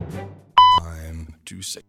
I'm too sick.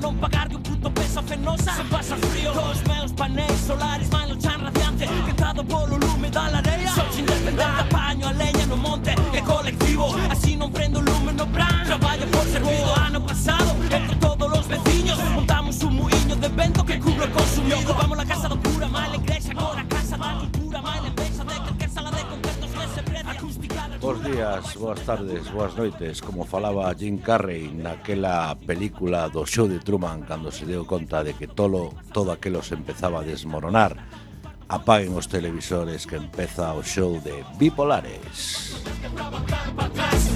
Non pagarlle un puto peso a Fenosa se pasa frío. Cos meus paneis solares van lo chan radiante quentado polo lume da lareia. Soy independente, apaño a leña no monte é colectivo, así non prendo lume no plan. Traballo por servido. Ano pasado, entre todos os veciños montamos un muiño de vento que cubro o consumido. Ocupamos la casa do cura, mal a igrexa, agora a casa da cultura, mal a empresa de calquer sala de concertos que se prende acústica. Bos días, boas tardes, boas noites. Como falaba Jim Carrey naquela película do show de Truman, cando se deu conta de que todo aquilo se empezaba a desmoronar, apaguen os televisores que empeza o show de Bipolares.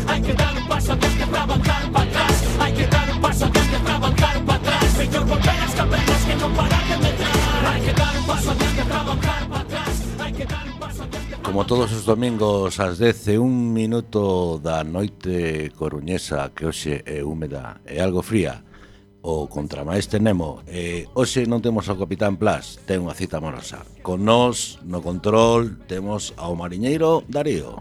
Hai que dar un paso adiante para avanzar para atrás. Hai que dar un paso adiante para avanzar para atrás. Mellor volver as cavernas que non parar de medrar. Hai que dar un paso adiante para avanzar para atrás. Hai que dar un paso adiante. Como todos os domingos ás 10:01 da noite coruñesa, que hoxe é húmeda e algo fría, o contramaestre Nemo, hoxe non temos ao Capitán Plas, ten unha cita amorosa. Con nós, no control, temos ao mariñeiro Darío.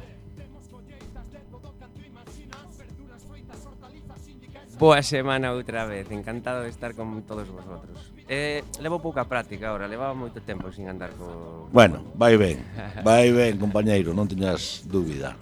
Boa semana outra vez, encantado de estar con todos vosotros. Levo pouca práctica ahora, levaba moito tempo sin andar co... Bueno, vai ben, compañeiro, non teñas dúbida.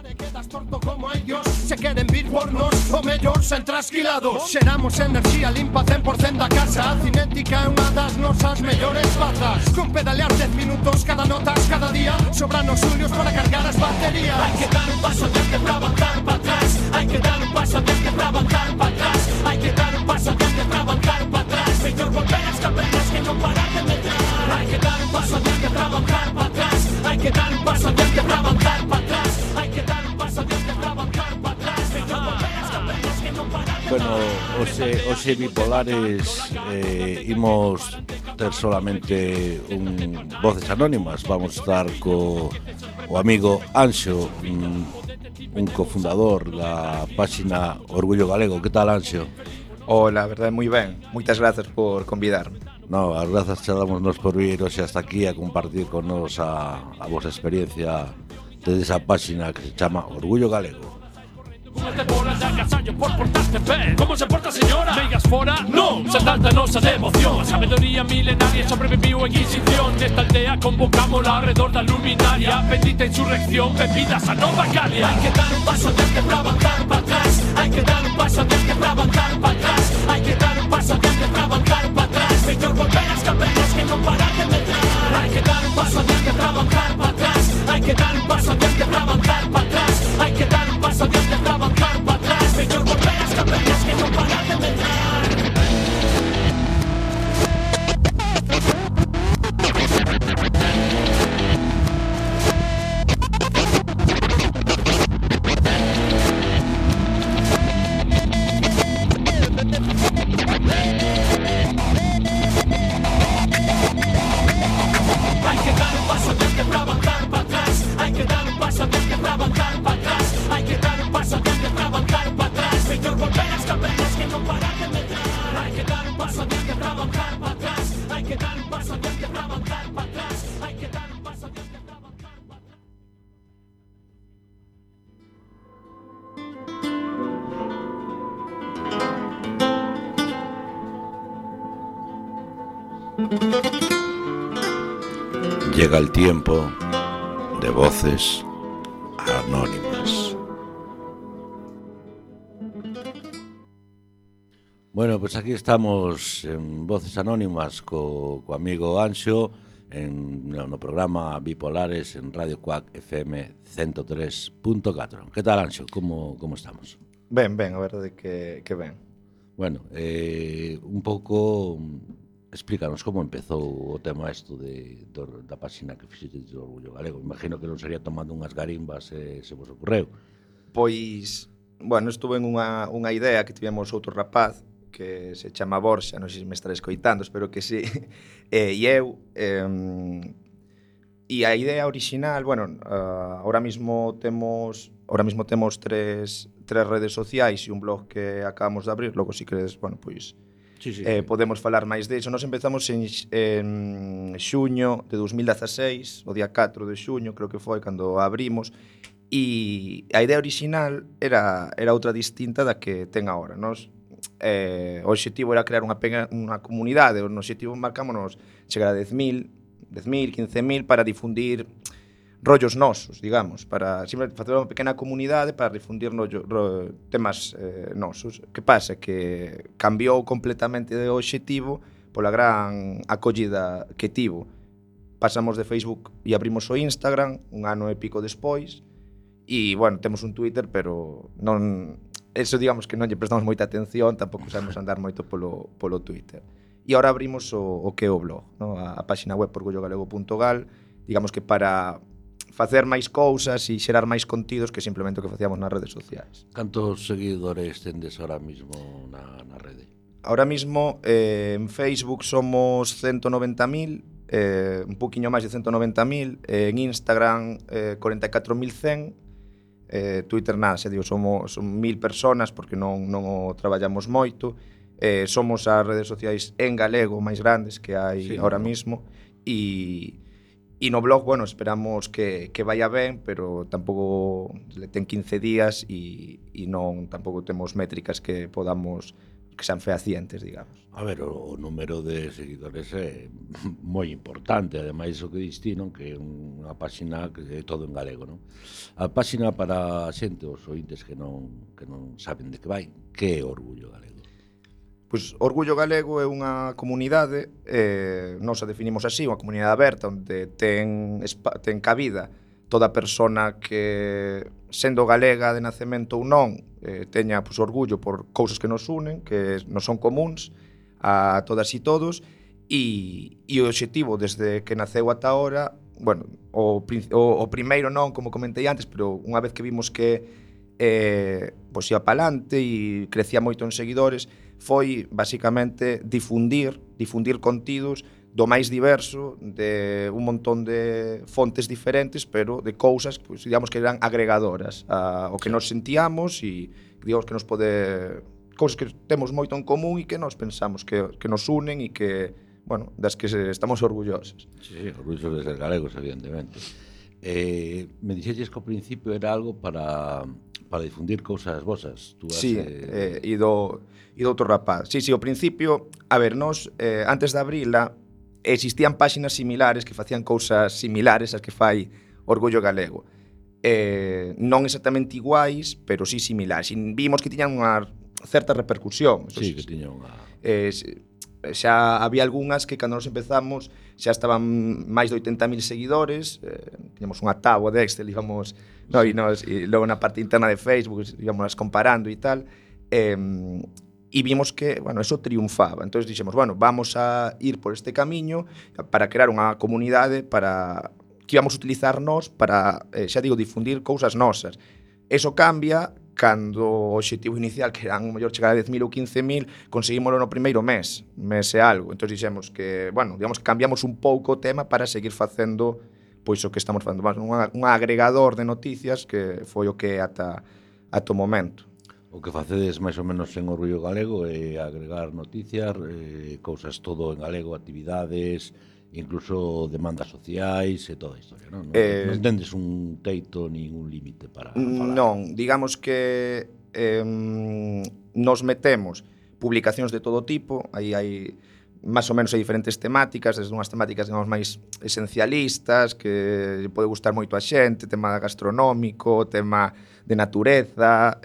Quedas torto como ellos, se queren vir por nos, o mellor sen trasquilados. Xeramos enerxía limpa 100% da casa. A cinética é unha das nosas mellores bazas. Con pedalear 10 minutos cada notas cada día, sobran os xulios para cargar as baterías. Hai que dar un paso adiante para avanzar para atrás. Hai que dar un paso adiante para avanzar para atrás. Hai que dar un paso adiante para avanzar para atrás. Mellor volver as cavernas que non parar de medrar. Hai que dar un paso adiante para avanzar para atrás. Hai que dar un paso adiante para avanzar para atrás. Hai que dar un paso adiante para avanzar para atrás. Mellor volver as cavernas que non parar de medrar. Bueno, hoxe Bipolares imos ter solamente un Voces Anónimas. Vamos a estar co o amigo Anxo, un cofundador da páxina Orgullo Galego. Que tal, Anxo? Hola, a verdade, moi ben. Moitas grazas por convidarme. No, as grazas che damos nos por vir hoxe hasta aquí a compartir con nos a vosa experiencia desde esa páxina que se chama Orgullo Galego. Te bolas de agasallo por portarte ben. ¿Cómo se porta, señora? Meigas fora, non. Se tanta nosa de emoción. A sabedoría milenaria sobreviviu a Inquisición. Nesta aldea convocámola alrededor da luminaria. Bendita insurrección, bebidas a nova Galia. Hai que dar un paso adiante para avanzar para atrás. Hai que dar un paso adiante para avanzar para atrás. Hai que dar un paso adiante para avanzar para atrás. Mellor volver as cavernas que non parar de medrar. Hai que dar un paso adiante para avanzar para atrás. Hai que dar un paso adiante para avanzar para atrás. Hai que dar un paso adiante para avanzar para atrás. Mellor volver as cavernas que non parar de medrar. Hai que dar un paso adiante para avanzar para atrás. Hai que dar un paso adiante para avanzar para atrás. Hai que dar un paso adiante para avanzar para atrás. Mellor volver as cavernas que non parar de medrar. Hai que dar un paso adiante para avanzar para atrás. Hai que dar un paso adiante para avanzar para atrás. Hai que dar un paso adiante para avanzar para atrás. Llega el tiempo de Voces Anónimas. Bueno, pues aquí estamos en Voces Anónimas co amigo Anxo no programa Bipolares en Radio Cuac FM 103.4. Que tal, Anxo? Como estamos? Ben, a verdade que ben. Bueno, un pouco explícanos como empezou o tema isto da páxina que fixetes do Orgullo Galego. Imagino que non sería tomando unhas garimbas se vos ocorreu. Pois, bueno, estuve en unha idea que tivemos outro rapaz que se chama Borxa, non sei se me estaré escoitando, espero que sí. E eu... E a idea original, bueno, ahora mismo temos tres redes sociais e un blog que acabamos de abrir, logo si queres, bueno, pois Sí. podemos falar máis diso. Nos empezamos en xuño de 2016, o día 4 de xuño, creo que foi cando abrimos, e a idea original era outra distinta da que ten agora. Nos o obxectivo era crear unha comunidade, o obxectivo marcámonos chegar a 10.000, 15.000 para difundir rollos nosos, digamos, para sempre facer unha pequena comunidade para difundir temas nosos. Que pasa? Que cambiou completamente de obxectivo pola gran acollida que tivo. Pasamos de Facebook e abrimos o Instagram un ano e pico despois e, bueno, temos un Twitter, pero non... Eso, digamos, que non lle prestamos moita atención, tampouco sabemos andar moito polo Twitter. E agora abrimos o que é o blog, no? A páxina web orgullogalego.gal, digamos que para facer máis cousas e xerar máis contidos que simplemente o que facíamos nas redes sociais. Cantos seguidores tendes ahora mismo na rede? Ahora mismo en Facebook somos 190.000, un poquinho máis de 190.000, en Instagram 44.100, Twitter nada, se digo, son 1.000 personas porque non o traballamos moito. Somos as redes sociais en galego máis grandes que hai ahora mismo e no blog, bueno, esperamos que vaya ben, pero tampouco ten 15 días e non tampouco temos métricas que podamos que sean fehacientes, digamos. A ver, o número de seguidores é moi importante, ademais o que distinto que é unha páxina que é todo en galego, non? A páxina para a xente, os ointes que non saben de que vai, que é Orgullo Galego? Pois Orgullo Galego é unha comunidade, nós a definimos así, unha comunidade aberta onde ten cabida toda persona que, sendo galega de nacemento ou non, teña pois, orgullo por cousas que nos unen, que nos son comuns a todas e todos, e o obxectivo desde que naceu ata ahora, bueno, o primeiro non, como comentei antes, pero unha vez que vimos que pois ia palante e crecía moito en seguidores, foi basicamente difundir contidos do máis diverso, de un montón de fontes diferentes, pero de cousas, pues, digamos que eran agregadoras ao que nos sentíamos e digamos que nos pode cousas que temos moito en común e que nos pensamos que nos unen e que, bueno, das que estamos orgullosos. Sí, orgullosos de ser galegos, evidentemente. Me dixeches que ao principio era algo para difundir cousas vosas. Sí, e do outro rapaz. Sí, ao principio, a ver, nos antes de abrila existían páxinas similares que facían cousas similares ás que fai Orgullo Galego. Non exactamente iguais, pero sí similares. E vimos que tiñan unha certa repercusión. Sí, que tiñan unha... xa había algunhas que cando nos empezamos xa estaban máis de 80.000 seguidores, tiñamos unha táboa de Excel, íbamos, no, e logo na parte interna de Facebook íbamos comparando e tal, e vimos que, bueno, eso triunfaba. Entón dixemos, bueno, vamos a ir por este camiño para crear unha comunidade para que íbamos a utilizar nós para, xa digo, difundir cousas nosas. Eso cambia cando o obxectivo inicial, que eran o mellor chegar a 10.000 ou 15.000, conseguímoslo no primeiro mes e algo. Entón dixemos que, bueno, digamos que cambiamos un pouco o tema para seguir facendo pois o que estamos facendo, un agregador de noticias que foi o que ata o momento. O que facedes máis ou menos en Orgullo Galego é agregar noticias, cousas todo en galego, actividades, incluso demandas sociais e toda a historia, non? Non tendes un teito nin un límite para falar. Non, digamos que nos metemos publicacións de todo tipo, aí hai máis ou menos hai diferentes temáticas, desde unhas temáticas digamos máis esencialistas que pode gustar moito a xente, tema gastronómico, tema de natureza,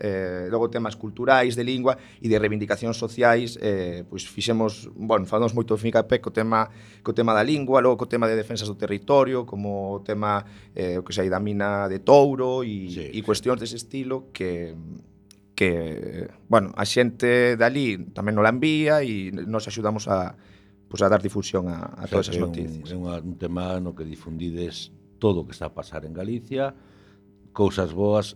logo temas culturais, de lingua e de reivindicacións sociais, pois fixemos, bueno, falamos moito fincapé co tema da lingua, logo co tema de defensas do territorio, como o tema o que sei da mina de Touro e cuestións dese estilo que bueno, a xente dali tamén nos la envía e nos axudamos a dar difusión a todas esas noticias. É un tema no que difundides todo o que está a pasar en Galicia, cousas boas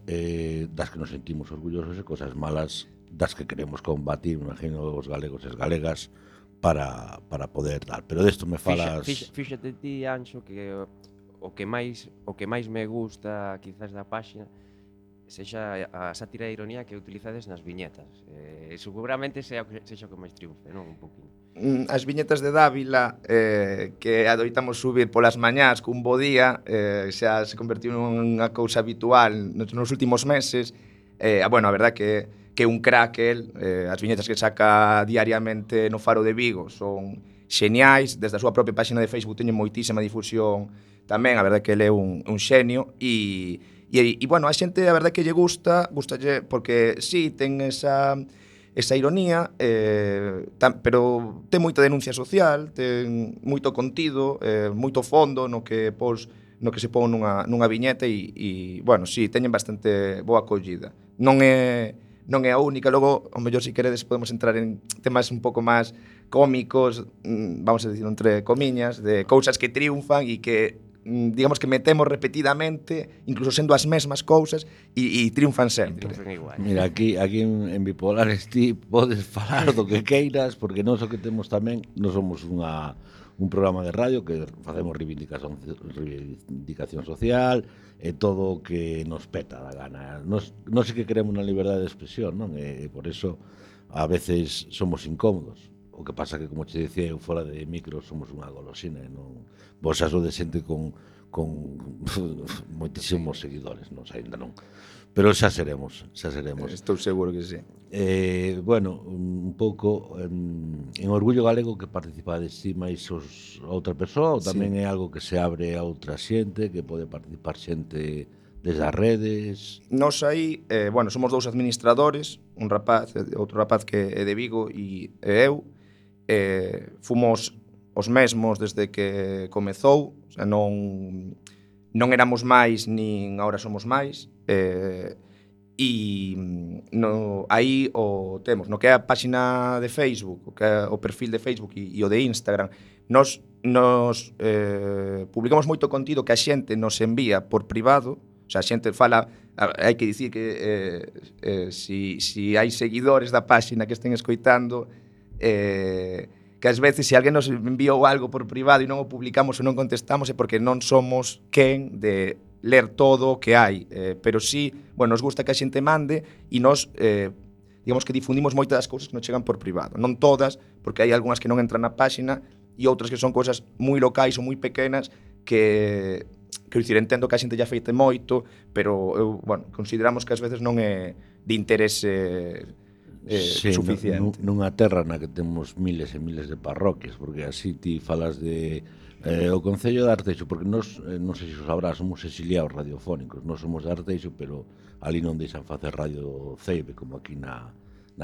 das que nos sentimos orgullosos e cousas malas das que queremos combatir, imagino, os galegos e as galegas para poder dar. Pero desto me falas... Fíxate ti, Anxo, que o que máis me gusta quizás da páxina sexa a sátira e ironía que utilizades nas viñetas. Seguramente sexa o que máis triunfe, non? Un poquinho. As viñetas de Dávila que adoitamos subir polas mañás cun bo día, xa se convertiu nunha cousa habitual nos últimos meses. Bueno, a verdad que un crack el, as viñetas que saca diariamente no Faro de Vigo son xeniais, desde a súa propia páxina de Facebook teñen moitísima difusión tamén, a verdad que ele é un xenio e bueno, a xente a verdade que lle gustalle porque sí, ten esa ironía, pero ten moita denuncia social, ten moito contido, moito fondo no que se pon nunha viñeta e bueno, sí, teñen bastante boa acollida. Non é a única, logo, ao mellor, se queredes, podemos entrar en temas un pouco máis cómicos, vamos a decir entre comiñas, de cousas que triunfan e que digamos que metemos repetidamente, incluso sendo as mesmas cousas, e triunfan sempre. Mira, aquí en Bipolares ti podes falar do que queiras, porque nós o que temos tamén, nós somos un programa de radio que facemos reivindicación social e todo o que nos peta da gana. Nós sí que queremos unha liberdade de expresión, non? E por eso a veces somos incómodos. O que pasa que, como te dicía eu, fora de micro somos unha golosina e non... Vos xa de xente con moitísimos seguidores, non sei, ainda non. Pero xa seremos. Estou seguro que sí. Bueno, un pouco en Orgullo Galego que participades ti máis outra persoa ou tamén é algo que se abre a outra xente, que pode participar xente desde as redes? Nos aí, bueno, somos dous administradores, un rapaz, outro rapaz que é de Vigo e eu, fomos os mesmos desde que comezou, o sea, non éramos máis nin agora somos máis, e aí o temos, no que é a páxina de Facebook, o que é o perfil de Facebook e o de Instagram, nos publicamos moito contido que a xente nos envía por privado, o sea, a xente fala, hai que dicir que si hai seguidores da páxina que estén escoitando, que ás veces se alguén nos enviou algo por privado e non o publicamos ou non contestamos é porque non somos quen de ler todo o que hai, pero sí, bueno, nos gusta que a xente mande e nos, digamos que difundimos moitas das cousas que nos chegan por privado, non todas, porque hai algunhas que non entran na páxina e outras que son cousas moi locais ou moi pequenas que dicir, entendo que a xente ya feite moito, pero bueno, consideramos que ás veces non é de interese suficiente. Nunha terra na que temos miles e miles de parroquias, porque así ti falas de o Concello de Arteixo, porque nós, non sei se o sabrás, somos exiliados radiofónicos, nós somos de Arteixo, pero ali non deixan facer radio Ceibe, como aquí na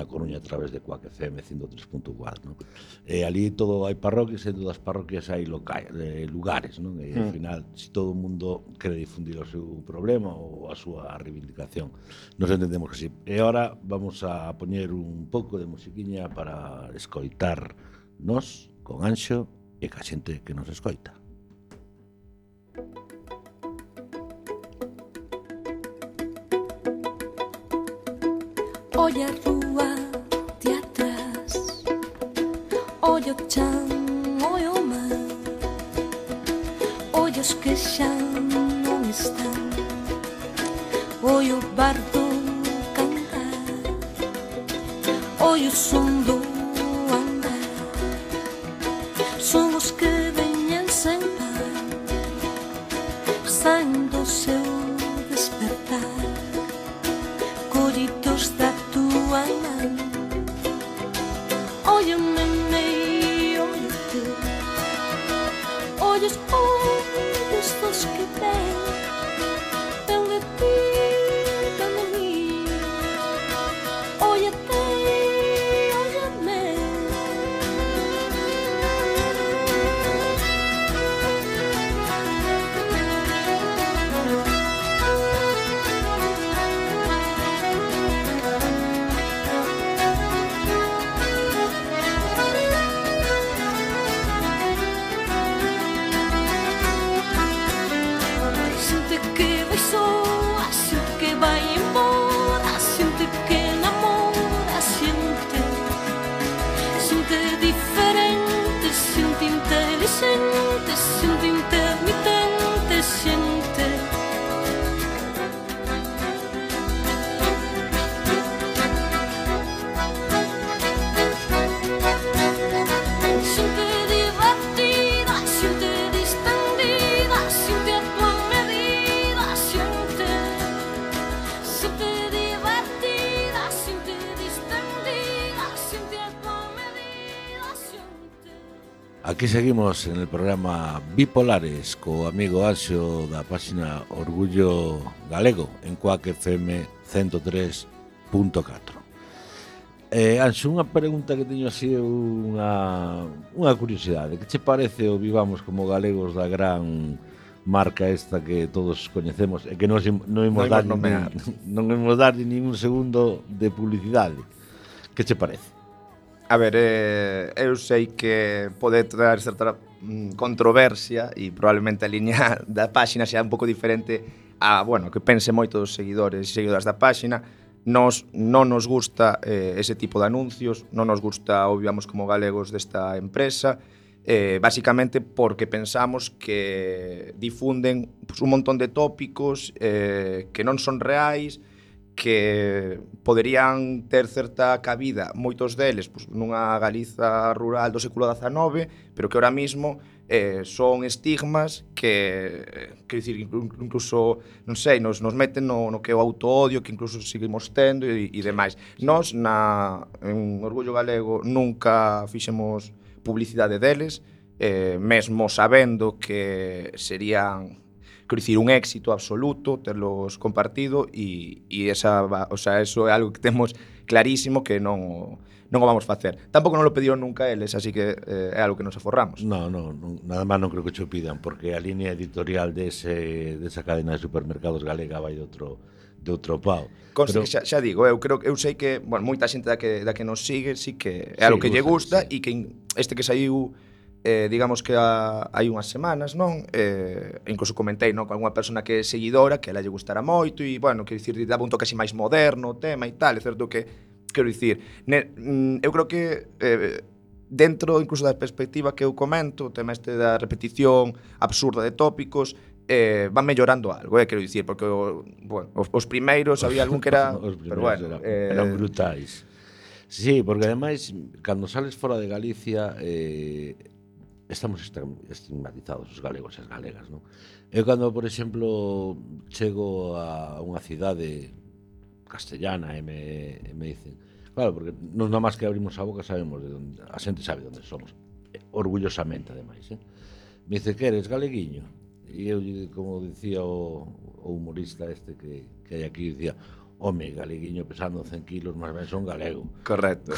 Coruña a través de Cuac FM 103.4, non? Ali todo hai parroquias e en todas as parroquias hai lugares, non? E ao final, se todo o mundo quere difundir o seu problema ou a súa reivindicación, nos entendemos que sí. E agora vamos a poñer un pouco de musiquiña para escoitar nos con Anxo e ca xente que nos escoita. Olla a rúa de atrás, olla o chan, olla o mar, olla os que xa non están, olla o bardo cantar, olla o son do andar, son os que veñen sen par, saen do seu despertar, collidos da tua man. Óyeme, óyete, ollos ollos dos que ven de ti, ven de mí. Óyete, óyeme. Aquí seguimos en el programa Bipolares co amigo Anxo da páxina Orgullo Galego en Quack FM 103.4. Anxo, unha pregunta que teño así unha curiosidade. Que che parece o Vivamos como galegos da gran marca esta que todos coñecemos e que non imos dar ningún segundo de publicidade? Que che parece? A ver, eu sei que pode traer certa controversia e probablemente a liña da páxina sea un pouco diferente a, bueno, que pense moitos seguidores e seguidoras da páxina. Non nos gusta ese tipo de anuncios, non nos gusta o Vivamos como galegos desta empresa, básicamente porque pensamos que difunden un montón de tópicos que non son reais, que poderían ter certa cabida, moitos deles nunha Galiza rural do século XIX, pero que ahora mismo son estigmas que dicir, incluso, non sei, nos meten no que é o autoodio, que incluso seguimos tendo e demais. Nós, en Orgullo Galego, nunca fixemos publicidade deles, mesmo sabendo que serían, quero dicir, un éxito absoluto terlos compartido e esa, o sea, eso é algo que temos clarísimo que non o vamos facer. Tampouco non lo pediron nunca eles, así que é algo que nos aforramos. No, nada máis non creo que cho pidan, porque a línea editorial desa cadena de supermercados galega vai de outro pau. Conste que xa digo, eu sei que, bueno, moita xente da que nos sigue, sí que é algo que lle gusta e que este que saiu digamos que hai unhas semanas, non? Incluso comentei, non, con algunha persona que é seguidora, que a ela lle gustara moito e, bueno, quero dicir, daba un toque así máis moderno o tema e tal, é certo que, quero dicir, eu creo que dentro incluso da perspectiva que eu comento, o tema este da repetición absurda de tópicos, van mellorando algo, quero dicir, porque, bueno, os primeiros había algún que era... pero bueno, eran brutais. Sí, porque ademais, cando sales fora de Galicia... estamos estigmatizados os galegos e as galegas, non? Eu cando, por exemplo, chego a unha cidade castellana e me dicen, claro, porque non nada máis que abrimos a boca sabemos de onde, a xente sabe onde somos, orgullosamente ademais, me dice, que eres galeguiño? E eu, como dicía o humorista este que hai aquí, dicía, home, galeguiño pesando 100 kilos, máis ben son galego. Correcto.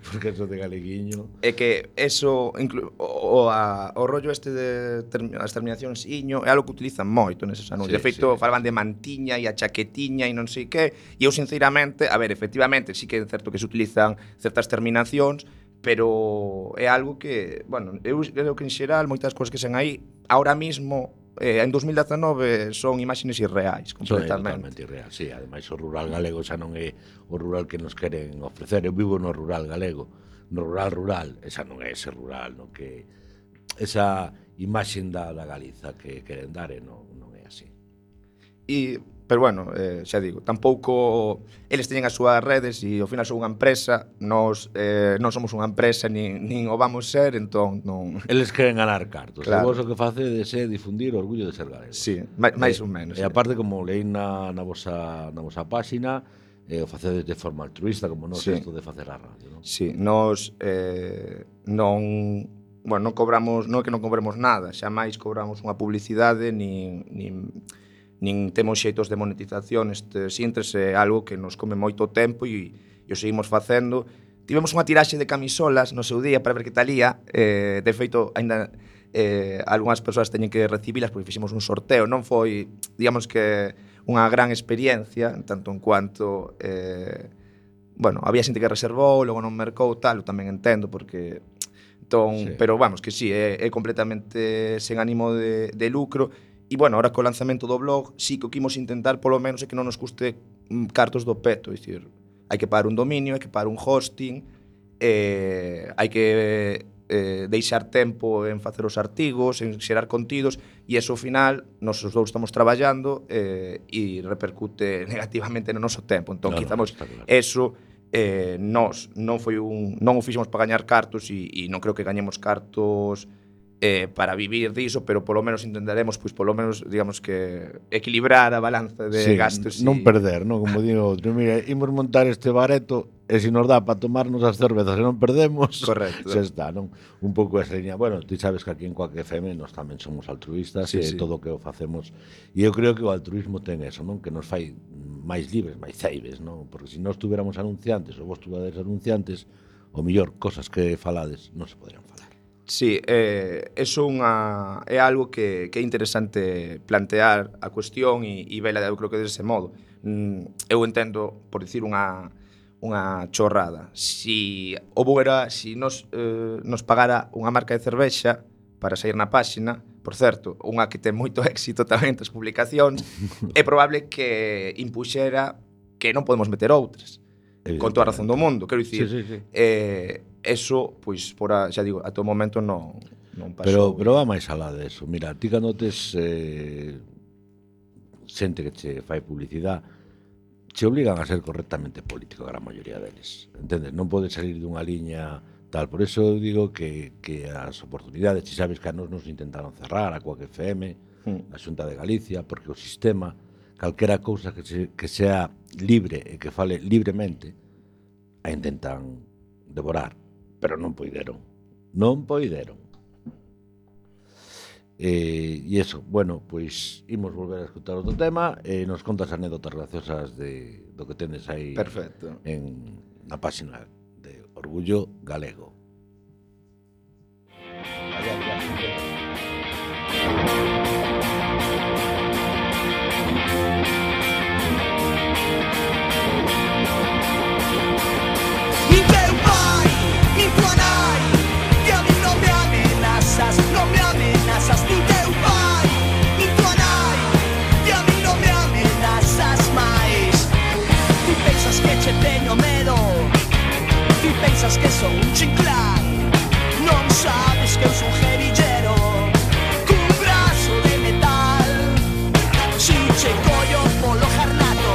Porque eso de galeguiño... É que eso, o rollo este de as terminacións iño, é algo que utilizan moito neses anuncios. De feito, falaban de mantiña e a chaquetiña e non sei que, e eu, sinceramente, a ver, efectivamente, sí que é certo que se utilizan certas terminacións, pero é algo que, bueno, eu creo que en xeral moitas cousas que sen aí, ahora mismo... en 2019 son imaxes irreais, completamente. Totalmente irreal, sí. Ademais, o rural galego xa non é o rural que nos queren ofrecer. Eu vivo no rural galego, no rural, esa non é ese rural, no que esa imaxe da Galiza que queren dar non é así. Pero bueno, xa digo, tampouco eles teñen as súas redes e ao final son unha empresa, nós non somos unha empresa nin o vamos ser, entón non... Eles queren ganar cartos, claro. E vos o que facedes é difundir o orgullo de ser galego. Sí, máis ou menos. E aparte, como leí na vosa páxina, o facedes de forma altruista, como non isto de facer a radio, non? Sí, nós non cobramos, non é que non cobremos nada, xa máis cobramos unha publicidade nin temos xeitos de monetización. Este Sintres é algo que nos come moito tempo e o seguimos facendo. Tivemos unha tiraxe de camisolas no seu día para ver que talía, de feito, aínda algunhas persoas teñen que recibilas porque fixemos un sorteo. Non foi, digamos que, unha gran experiencia, tanto en cuanto, bueno, había xente que reservou, logo non mercou, tal, eu tamén entendo, porque... Entón, sí. Pero vamos, que sí, é completamente sen ánimo de lucro. E, bueno, ahora co lanzamento do blog, sí que o que imos intentar, polo menos, é que non nos custe cartos do peto. É dicir, hai que pagar un dominio, hai que pagar un hosting, hai que deixar tempo en facer os artigos, en xerar contidos, e eso, ao final, nos os dous estamos traballando e repercute negativamente no noso tempo. Entón, quizamos eso... Nós non o fixemos para gañar cartos e non creo que gañemos cartos para vivir diso, pero polo menos intentaremos, pois polo menos, digamos que equilibrar a balanza de gastos. Non perder, non? Como digo outro, mira, imos montar este bareto e se nos dá para tomarnos as cervezas e non perdemos, Correcto. xa está, non? Un pouco esa liña. Bueno, ti sabes que aquí en Coac FM nós tamén somos altruistas Sí, e sí. todo o que o facemos. E eu creo que o altruismo ten eso, non? Que nos fai máis libres, máis ceibes, non? Porque se nós tuviéramos anunciantes ou vos tuvedes anunciantes, o mellor cosas que falades non se poderían falar. Sí, eso é algo que é interesante plantear a cuestión e vela, eu creo que dese modo. Eu entendo, por dicir unha chorrada, si nos pagara unha marca de cervexa para sair na páxina, por certo, unha que ten moito éxito tamén das publicacións, é probable que impuxera que non podemos meter outras. Con toda a razón do mundo, quero dicir, Sí. eso, pois, xa digo, a todo momento non pasou. Pero va máis alá de eso. Mira, ti cando tes xente que che fai publicidade, che obligan a ser correctamente político, a gran maioría deles. Entendes? Non podes salir dunha liña tal. Por eso eu digo que as oportunidades, ti sabes que a nos intentaron cerrar, a Coac FM, a Xunta de Galicia, porque o sistema, calquera cousa que sea libre e que fale libremente, a intentan devorar, pero non poideron. Non poideron. E eso, bueno, pois imos volver a escutar outro tema e nos contas anécdotas graciosas do que tendes aí. Perfecto. Na páxina de Orgullo Galego. Nin teu pai, nin tua nai, que a mí non me amenazas, non me amenazas. Nin teu pai, nin tua nai, que a mí non me amenazas máis. Ti pensas que che teño medo, ti pensas que son un chinclán. Non sabes que eu son gerillero, cun brazo de metal. Si che collo polo jarnato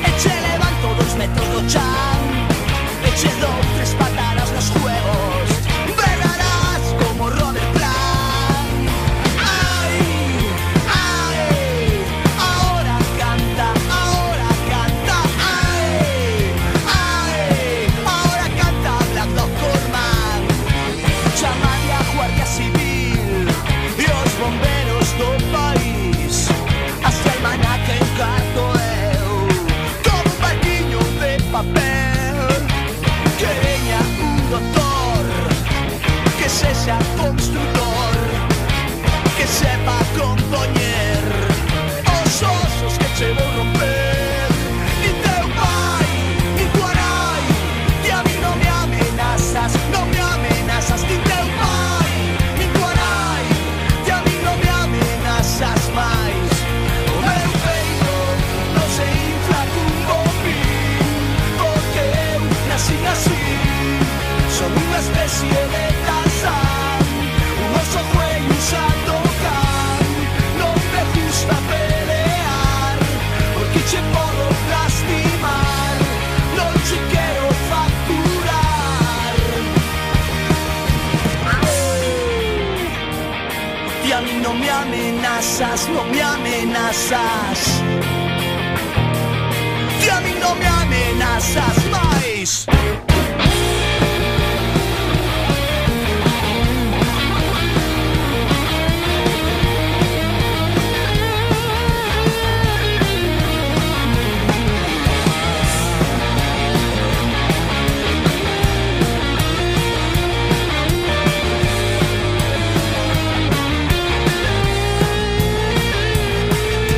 e che levanto 2 metros do chan, e che dou 3 patadas nos juegos, berrarás como Robert Plant. Ai, ai, ahora canta, ai, ai, ahora canta Black Dog Corman. Chamade a Guardia Civil e os bomberos do país, hasta el maná que encarto eu, como un barquiño de papel. Que veña un doctor, que sexa constructor, que sepa compoñer os osos que che vou romper. Nin teu pai, nin tua nai, que a mí non me amenazas, non me amenazas. Nin teu pai, nin tua nai, que a mí non me amenazas máis. O meu peito non se infla cun bombín, porque eu nací así. Son unha especie de Tarzán, un oso fue un Sandokan. Non me gusta pelear, porque che podo lastimar. Non che quero facturar. E a mí non me amenazas, non me amenazas. E a mí non me amenazas máis.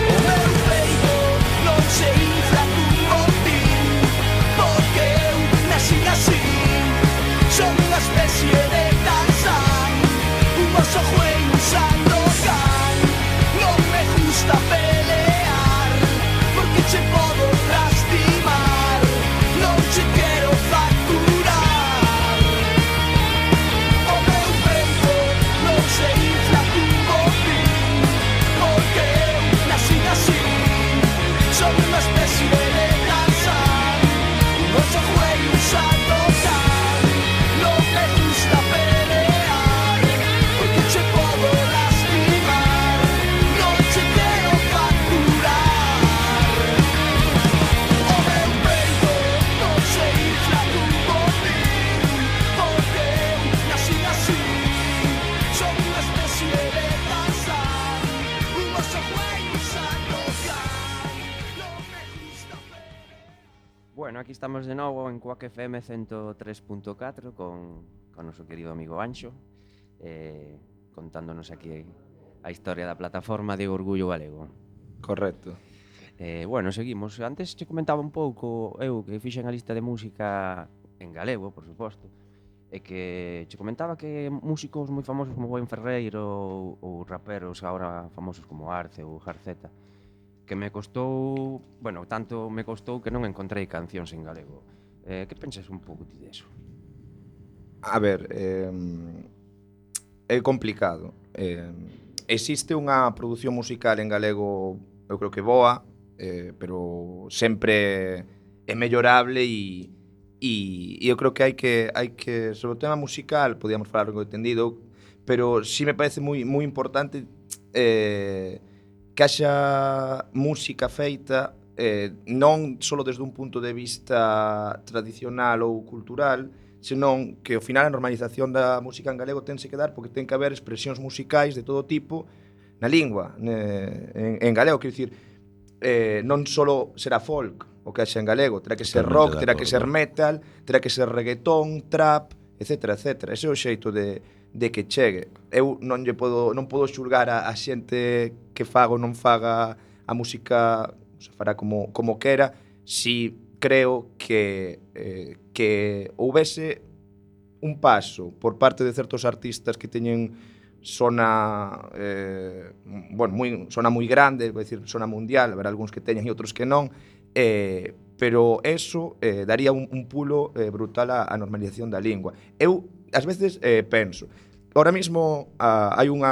O meu peito non se infla cun botín, porque eu nací así. aquí estamos de novo en Quack FM 103.4 con noso querido amigo Anxo, contándonos aquí a historia da plataforma de Orgullo Galego. Correcto. Bueno, seguimos. Antes che comentaba un pouco eu que fixen a lista de música en galego, por suposto, e que che comentaba que músicos moi famosos como Buen Ferreiro ou raperos agora famosos como Arce ou Jarceta, que me costou, bueno, tanto me costou que non encontrei cancións en galego. Que pensas un pouco ti deso? A ver, é complicado. Existe unha produción musical en galego, eu creo que boa, pero sempre é mellorable e eu creo que hai que sobre o tema musical podíamos falar algo entendido, pero sí me parece moi importante que haxa música feita non só desde un punto de vista tradicional ou cultural, senón que ao final a normalización da música en galego tense que dar porque ten que haber expresións musicais de todo tipo na lingua, en galego, quero dicir, non só será folk o que haxa en galego, terá que ser rock, terá que ser metal, terá que ser reggaetón, trap, etcétera, etcétera. Ese é o xeito de que chegue. Eu non podo xulgar a xente que faga ou non faga a música, se fará como quera, si creo que houbese un paso por parte de certos artistas que teñen sona moi grande, vou dicir, sona mundial, haber algúns que teñen e outros que non, pero eso daría un pulo brutal á normalización da lingua. Eu, ás veces, penso, ahora mismo hai un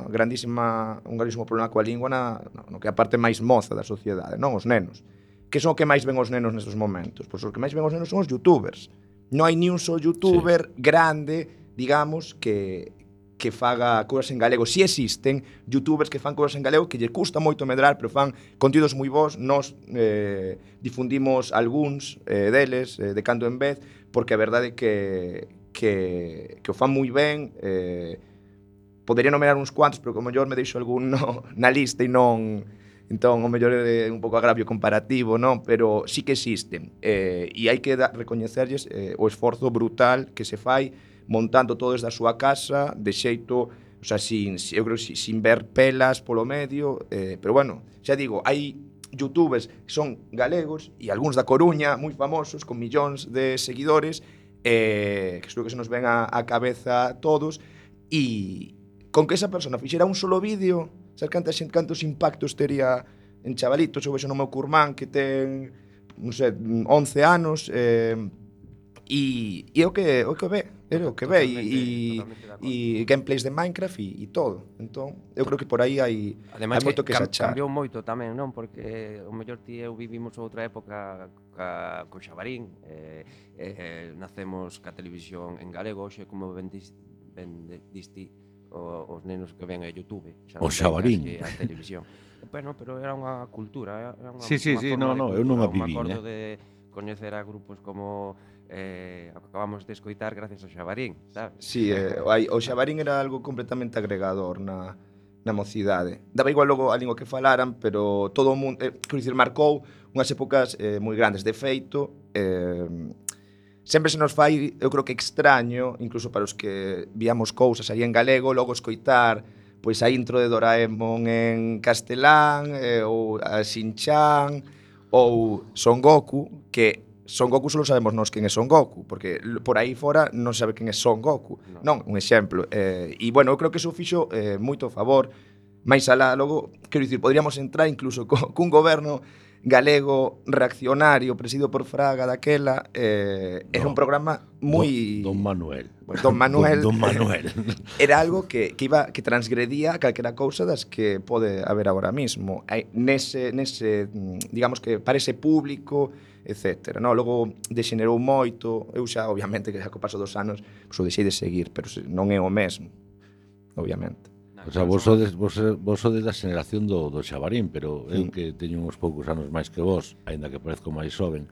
grandísimo problema coa lingua no que é a parte máis moza da sociedade, non? Os nenos. Que son o que máis ven os nenos nestes momentos? Pois os que máis ven os nenos son os youtubers. Non hai ni un só youtuber grande, digamos, que faga cousas en galego. Si existen youtubers que fan cousas en galego que lle custa moito medrar, pero fan contidos moi bons. Nos difundimos algúns deles de cando en vez, porque a verdade é que o fan moi ben. Podería nomear uns cuantos, pero como mellor me deixo algún na lista e non... Entón, o mellor é un pouco agravio comparativo, non? Pero sí que existen. E hai que recoñecerlles o esforzo brutal que se fai montando todo desde a súa casa, de xeito, o sea, eu creo sin ver pelas polo medio, pero bueno, xa digo, hai youtubers que son galegos e algúns da Coruña moi famosos, con millóns de seguidores, que creo que se nos ven a cabeza a todos, e con que esa persona fixera un solo vídeo, sabes cantos impactos tería en chavalitos. Eu vexo no meu curmán que ten, non sei, 11 anos, e é o que ve, e gameplays de Minecraft e todo. Entón, eu creo que por aí hai moito que se achar. Cambiou moito tamén, non? Porque o mellor ti eu vivimos outra época co Xabarín, nacemos ca televisión en galego, hoxe como diste os nenos que ven a YouTube, o Xabarín, a televisión. Bueno, pero era unha cultura, era unha sí, no, eu non a viví, me acordo de coñecer a grupos como acabamos de escoitar gracias ao Xabarín, sabes? Sí, o Xabarín era algo completamente agregador na mocidade. Daba igual logo a lingua que falaran, pero todo o mundo, quero dicir, marcou unhas épocas moi grandes. De feito, sempre se nos fai, eu creo que extraño, incluso para os que víamos cousas aí en galego, logo escoitar pois a intro de Doraemon en castelán, ou a Shin-chan, ou Son Goku, que Son Goku só sabemos nós quen é Son Goku, porque por aí fora non sabe quen é Son Goku. Non, un exemplo. E, bueno, eu creo que iso fixo moito a favor. Mais alá, logo, quero dicir, poderíamos entrar incluso cun goberno galego reaccionario presidido por Fraga daquela, era un programa moi... Don Manuel. Don Manuel. Don Manuel. Era algo que transgredía calquera cousa das que pode haber agora mismo. Nese, digamos que para ese público, etcétera. No, logo degenerou moito. Eu xa, obviamente, que xa co paso dos anos, o deixei de seguir, pero non é o mesmo, obviamente. O sea, vos sodes da xeneración do Xabarín, pero eu que teño uns poucos anos máis que vos, aínda que parezco máis xoven.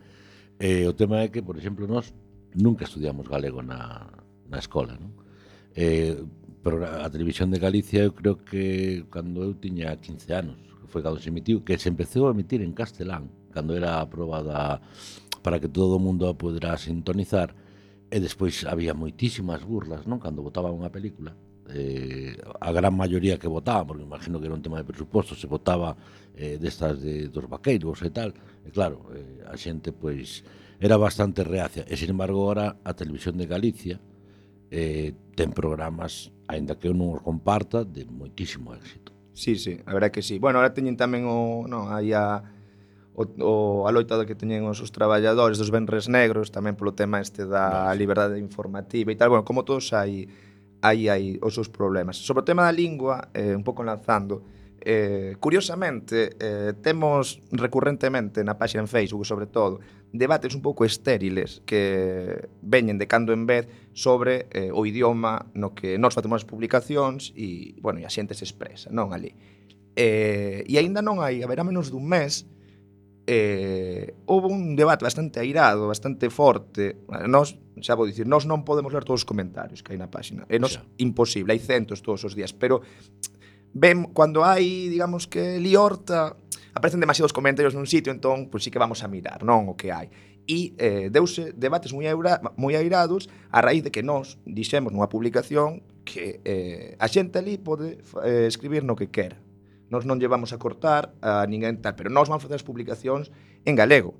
O tema é que, por exemplo, nós nunca estudiamos galego na escola, non? Pero a Televisión de Galicia, eu creo que cando eu tiña 15 anos, que foi cando se emitiu, que se empezou a emitir en castelán, cando era a proba para que todo o mundo a poderá sintonizar, e despois había moitísimas burlas, non? Cando votaban unha película, a gran maioría que votaba, porque imagino que era un tema de presuposto, se votaba destas dos vaqueiros e tal, e claro, a xente pois era bastante reacia, e sin embargo agora a Televisión de Galicia ten programas, aínda que eu non os comparta, de moitísimo éxito. Sí, a verdade que sí. Bueno, ahora teñen tamén aí a loita que teñen os traballadores dos venres negros, tamén polo tema da liberdade informativa e tal. Bueno, como todos hai os seus problemas. Sobre o tema da lingua, un pouco lanzando, curiosamente, temos recurrentemente na páxina en Facebook, sobre todo, debates un pouco estériles que veñen de cando en vez sobre o idioma no que nós facemos as publicacións e, bueno, e a xente se expresa, non ali. E aínda non hai, haberá menos dun mes, houve un debate bastante airado, bastante forte. Nós, xa vou dicir, nós non podemos ler todos os comentarios que hai na páxina. É imposible, hai centos todos os días, pero cando hai, digamos que liorta, aparecen demasiados comentarios nun sitio, entón, pois sí que vamos a mirar, non, o que hai. E deuse debates moi airados a raíz de que nós dixemos nunha publicación que a xente ali pode escribir no que quera. Nós non llevamos a cortar a ninguén tal, pero nós vamos facer as publicacións en galego,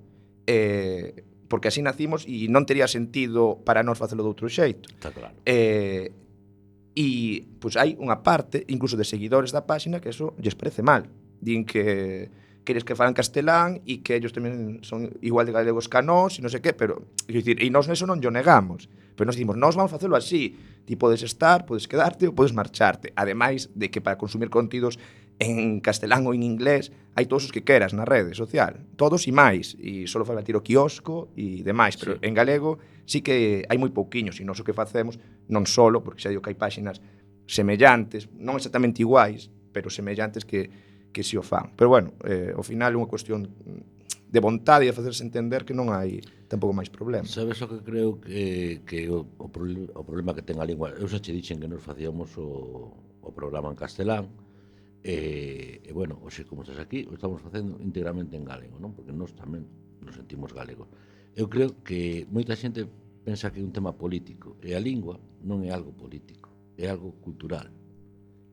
porque así nacimos e non tería sentido para nós facelo de outro xeito. Está claro. E pois hai unha parte, incluso de seguidores da páxina, que eso lles parece mal. Din que queres que falan castelán e que ellos tamén son igual de galegos que nós e non sei que, pero, e nós neso non yo negamos. Pero nós dicimos, nós vamos facelo así. Ti podes estar, podes quedarte ou podes marcharte. Ademais de que para consumir contidos en castelán ou en inglés hai todos os que queras na rede social, todos e máis, e só fai batir o quiosco e demais, pero en galego sí que hai moi pouquiños, e nós o que facemos non solo, porque xa digo que hai páxinas semellantes, non exactamente iguais, pero semellantes que si o fan. Pero bueno, ao final é unha cuestión de vontade e de facerse entender que non hai tampouco máis problemas. Sabes o que creo que o problema que ten a lingua? Eu xa che dixen que nos facíamos o programa en castelán, e bueno, hoxe como estás aquí o estamos facendo íntegramente en galego, non? Porque nós tamén nos sentimos galegos. Eu creo que moita xente pensa que é un tema político, e a lingua non é algo político, é algo cultural,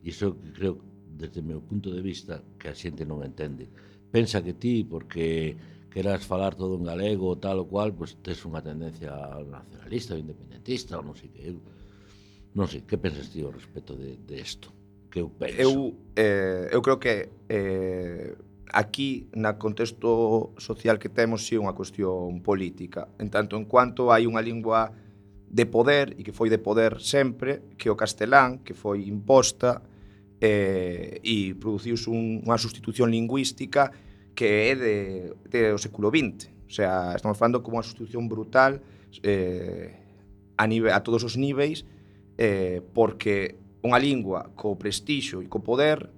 e iso creo, desde o meu punto de vista, que a xente non entende. Pensa que ti, porque queras falar todo en galego ou tal ou cual, pois tes unha tendencia nacionalista ou independentista ou non sei que. Non sei, que pensas ti ao respecto de isto? Que eu penso. Eu creo que aquí, na contexto social que temos, sí é unha cuestión política, en tanto en cuanto hai unha lingua de poder, e que foi de poder sempre, que o castelán, que foi imposta, e produciuse unha sustitución lingüística que é do século XX. O sea, estamos falando como unha sustitución brutal a todos os níveis, porque unha lingua co prestixio e co poder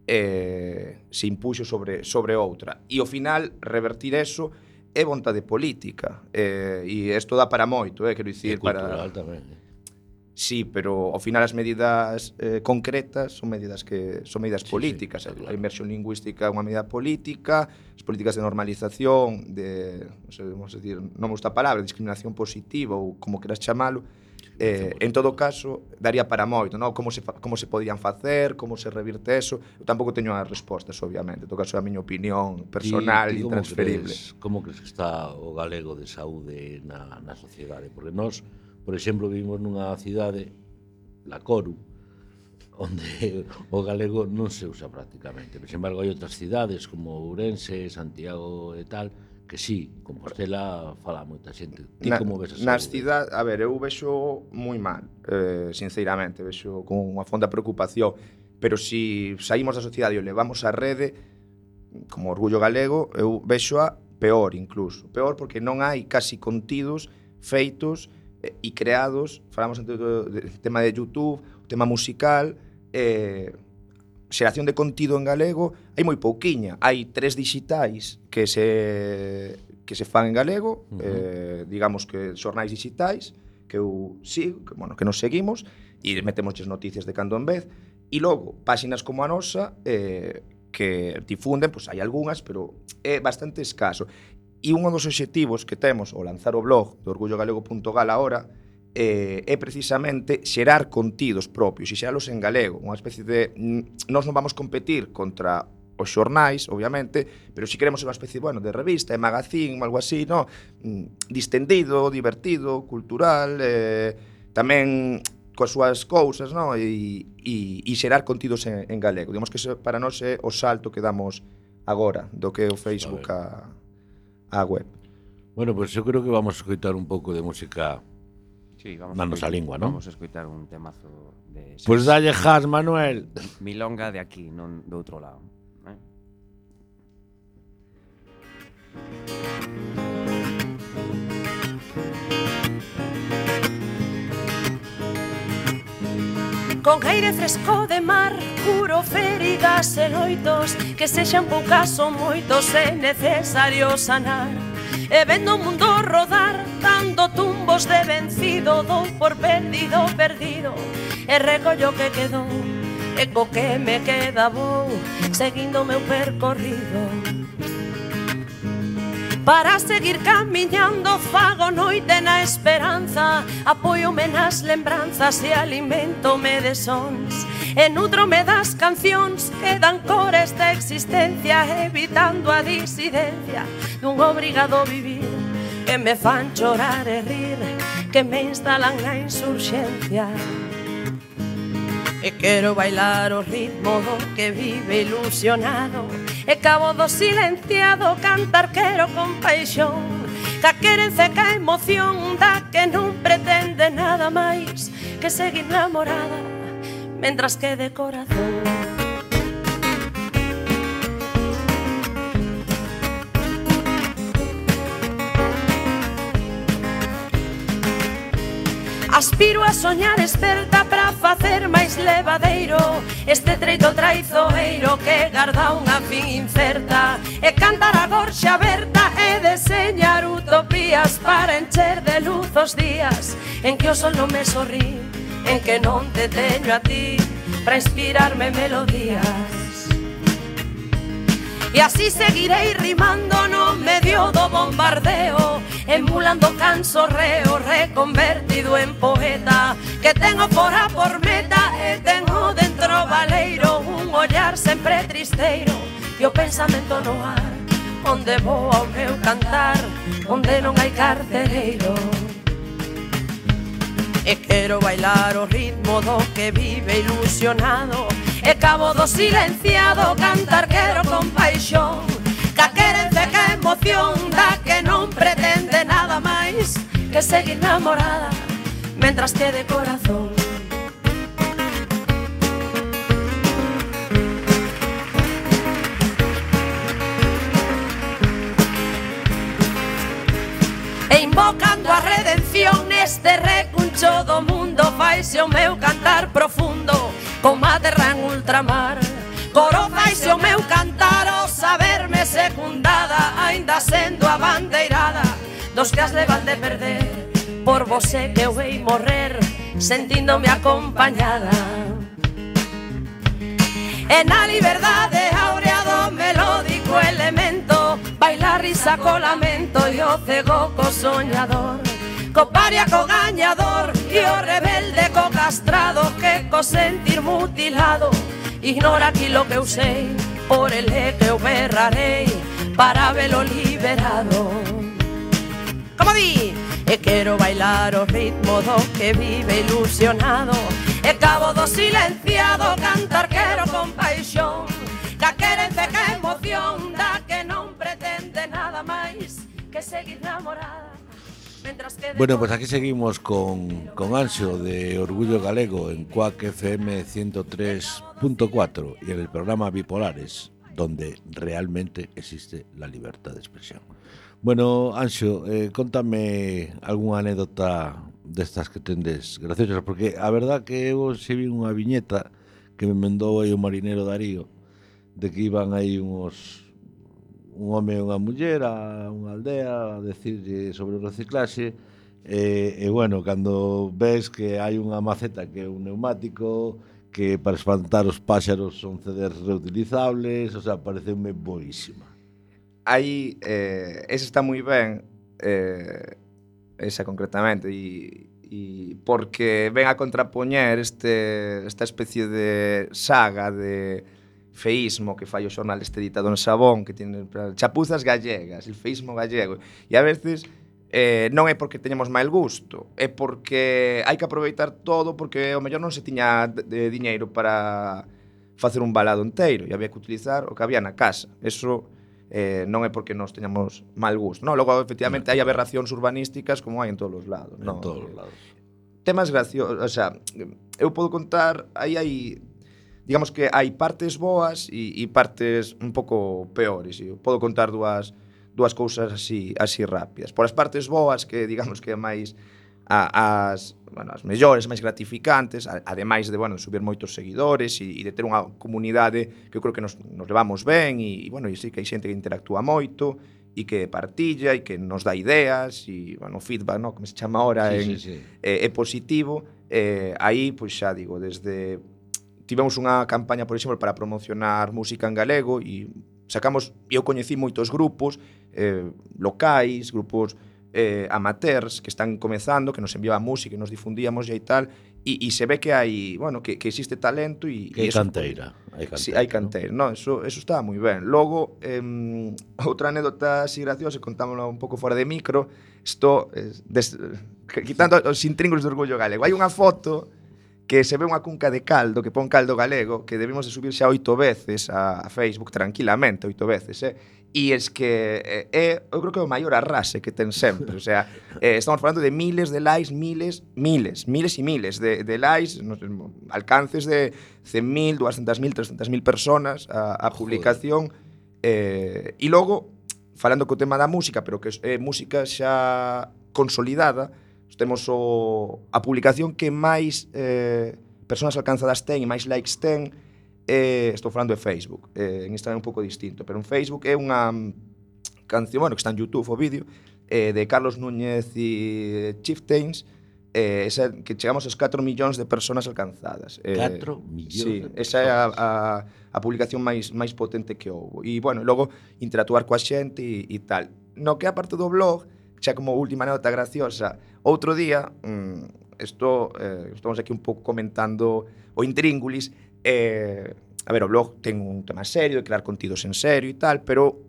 se impuxo sobre outra. E ao final, revertir eso é vontade política. E isto dá para moito, quero dicir, cultural tamén. Sí, pero ao final as medidas concretas son medidas políticas. Sí, claro. A inmersión lingüística é unha medida política, as políticas de normalización, vamos a decir, non me gusta a palabra, discriminación positiva ou como queras chamalo, en todo caso, daría para moito, non? Como se podían facer, como se revirte eso. Eu tampouco teño as respostas, obviamente. En todo caso, é a miña opinión personal e intransferible. Como crees que está o galego de saúde na sociedade? Porque nós, por exemplo, vivimos nunha cidade, La Coru, onde o galego non se usa prácticamente. Sin embargo, hai outras cidades como Ourense, Santiago e tal, que sí, Compostela fala moita xente. Ti como ves a nas cidades? A ver, eu vexo moi mal, sinceramente, vexo con unha fonda preocupación, pero se saímos da sociedade e o levamos á rede, como Orgullo Galego, eu vexo a peor incluso. Peor porque non hai casi contidos feitos e creados, falamos antes do tema de YouTube, o tema musical, xeración de contido en galego, hai moi pouquiña. Hai 3 dixitais que se fan en galego, digamos que xornais dixitais, que eu sigo, que nos seguimos, e metemos noticias de cando en vez, e logo, páxinas como a nosa, que difunden, pois hai algunhas, pero é bastante escaso. E un dos obxectivos que temos ao lanzar o blog do orgullogalego.gal agora é precisamente xerar contidos propios e xeralos en galego, unha especie de... Nós non vamos competir contra os xornais, obviamente, pero si queremos ser unha especie, bueno, de revista, de magazín, algo así, no? Distendido, divertido, cultural, tamén coas súas cousas, no? E xerar contidos en galego. Digamos que para nós é o salto que damos agora do que é o Facebook a web. Bueno, pues eu creo que vamos a escoitar un pouco de música na nosa lingua, non? Vamos a escoitar un temazo de... Pues dalle jazz, Manuel. Milonga de aquí, non do outro lado. Con aire fresco de mar, curo feridas e loitos, que sexan poucas ou moitos é necesario sanar. E vendo o mundo rodar, dando tumbos de vencido, dou por perdido, e recollo que quedou, e co que me queda vou, seguindo o meu percorrido. Para seguir camiñando fago noite na esperanza, apóiome nas lembranzas e alimentome de sons, e nutrome das cancións que dan cor a esta existencia, evitando a disidencia dun obrigado vivir, que me fan chorar e rir, que me instalan na insurxencia. E quero bailar o ritmo do que vive ilusionado, e cabo do silenciado cantar quero con paixón, ca querenza ca emoción da que non pretende nada máis que seguir namorada mentras que de corazón. Aspiro a soñar esperta para facer máis levadeiro este treito traizoeiro que garda unha fin incerta, e cantar a gorxa aberta e deseñar utopías para encher de luz os días en que o sol non me sorrí, en que non te teño a ti para inspirarme melodías. E así seguirei rimando no medio do bombardeo, emulando cansorreo reconvertido en poeta, que tengo fora por meta e tengo dentro valeiro un ollar sempre tristeiro e o pensamento no ar, onde vou ao meu cantar, onde non hai carcereiro. E quero bailar o ritmo do que vive ilusionado, e cabo do silenciado cantar quero con paixón, ca querenza e ca emoción da que non pretende nada máis que seguir namorada mentras que de corazón. E invocando a redención neste recuncho do mundo, faise o meu cantar profundo como a terra en ultramar. Coro faise o meu cantar o saberme secundada, aínda sendo a bandeirada dos que as levan de perder. Por vose que eu hei morrer sentíndome acompañada. E na liberdade áurea do melódico elemento baila risa co lamento e o cego co soñador, co paria co gañador e o rebelde co castrado, que co sentir mutilado ignora aquilo que eu sei, por el que eu berrarei para velo liberado. Como di? E quero bailar o ritmo do que vive ilusionado, e cabo do silenciado cantar quero con paixón, ca querenza e ca emoción da que non pretende nada máis que seguir namorada. Bueno, pues aquí seguimos con Anxo de Orgullo Galego en Cuac FM 103.4 y en el programa Bipolares, donde realmente existe la libertad de expresión. Bueno, Anxo, contame algunha anécdota destas que tendes graciosas, porque a verdad que eu se vi unha viñeta que me mandou aí o marinero Darío, de que iban aí un home e unha muller a unha aldea a decirlle sobre o reciclaxe, e bueno, cando ves que hai unha maceta que é un neumático, que para espantar os páxaros son CDs reutilizables, o sea, pareceume boísima. aí esa está moi ben, esa concretamente, e porque ven a contrapoñer esta especie de saga de feísmo que fai o xornal este editado en Sabón, que tiene chapuzas gallegas, el feísmo gallego, e a veces non é porque teñamos mal gusto, é porque hai que aproveitar todo, porque ao mellor non se tiña de diñeiro para facer un balado enteiro e había que utilizar o que había na casa. Eso non é porque nos teñamos mal gusto. No, logo, efectivamente, hai aberracións urbanísticas como hai en todos os lados. En todos os lados. Temas graciosos, o sea, eu podo contar, aí hai, digamos que hai partes boas e partes un pouco peores. Eu podo contar dúas cousas así rápidas. Por as partes boas, que digamos que é máis as mellores, máis gratificantes, ademais de, subir moitos seguidores e de ter unha comunidade que eu creo que nos levamos ben e sí que hai xente que interactúa moito e que partilla e que nos dá ideas e, feedback, como se chama ahora, sí. É positivo. Aí, pois xa digo, desde tivemos unha campaña, por exemplo, para promocionar música en galego e eu coñecí moitos grupos locais, grupos amateurs que están comezando, que nos enviaban música e nos difundíamos e tal, e se ve que hai, que existe talento e que hai canteira. Sí, hai canteira, ¿no? Eso está moi ben. Logo, outra anécdota así graciosa, contámosla un pouco fora de micro, quitando os intríngulos do orgullo galego. Hai unha foto que se ve unha cunca de caldo, que pon caldo galego, que debemos de subir xa 8 veces a Facebook tranquilamente, 8 veces, E es que eu creo que é o maior arrase que ten sempre. O sea, estamos falando de miles de likes, miles e miles de likes, alcances de 100.000, 200.000, 300.000 personas a publicación. E logo, falando co tema da música, pero que é música xa consolidada, temos a publicación que máis persoas alcanzadas ten e máis likes ten. Estou falando de Facebook, en Instagram é un pouco distinto, pero en Facebook é unha canción, que está en YouTube o vídeo, de Carlos Núñez e Chieftains, que chegamos aos 4 millóns de persoas alcanzadas. 4 millóns? Sí, esa é a publicación máis potente que houve. E, logo interactuar coa xente e tal. No que a parte do blog, xa como última nota graciosa, outro día, estamos aquí un pouco comentando o intríngulis, a ver, o blog ten un tema serio, de crear contidos en serio e tal, pero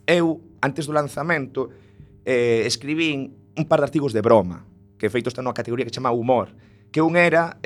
eu, antes do lanzamento, escribín un par de artigos de broma, que feito está nunha categoría que chama humor, que un era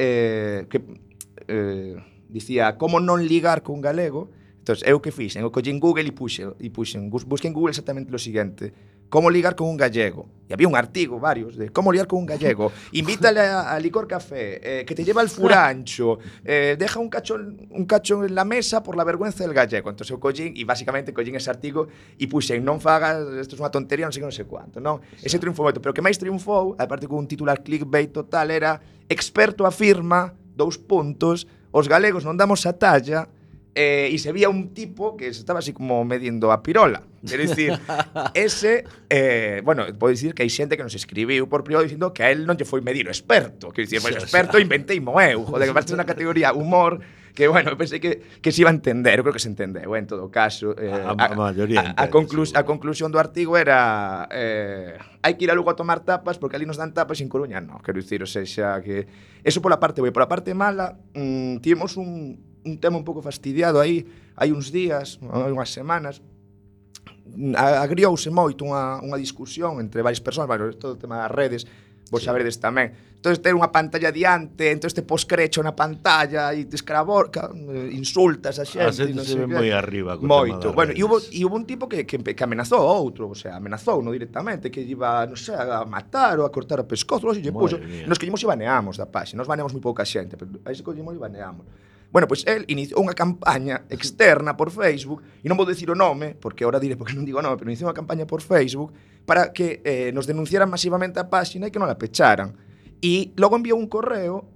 dicía como non ligar con galego. Entón, eu que fixen? Eu collín Google e puxen, busquei en Google exactamente o seguinte: como ligar con un gallego. E había un artigo, varios, de como ligar con un gallego. Invítale a Licor Café, que te lleva al furancho, deja un cacho en la mesa por la vergüenza del gallego. Entón, eu collín, e basicamente collín ese artigo e puxen, non fagas, isto é unha tontería, non sei cuánto, non? Ese triunfou moito, pero o que máis triunfou, aparte con un titular clickbait total, era: experto afirma, : os galegos non damos a talla. E se vía un tipo que se estaba así como medindo a pirola. Quero dicir, ese, podo dicir que hai xente que nos escribiu por privado dicindo que a él non lle foi medir o experto. Quero dicir, pois experto inventei eu, joder, que parte unha categoría humor que, pensei que se iba a entender, eu creo que se entendeu, en todo caso. A conclusión do artigo era hai que ir a Lugo a tomar tapas porque ali nos dan tapas en Coruña, non, quero dicir, o sea, que eso pola parte boa. Por a parte mala, tivemos un tema un pouco fastidiado aí, hai uns días, unhas semanas, agriouse moito unha discusión entre varias persoas, todo o tema das redes, vos saberedes tamén. Entón, ter unha pantalla diante, entón te poscrecho na pantalla e te escraborca, insultas a xente. A xente se ve moi arriba. Moito. E hubo un tipo que amenazou a outro, o sea, amenazou no directamente, que iba, non sei, a matar ou a cortar o pescozo, e nos collemos e baneamos da páxina, nos baneamos moi pouca xente, pero aí se collemos e baneamos. Pois el iniciou unha campaña externa por Facebook, e non vou dicir o nome, porque ahora diré porque non digo o nome, pero iniciou unha campaña por Facebook para que nos denunciaran masivamente a páxina e que non la pecharan. E logo enviou un correo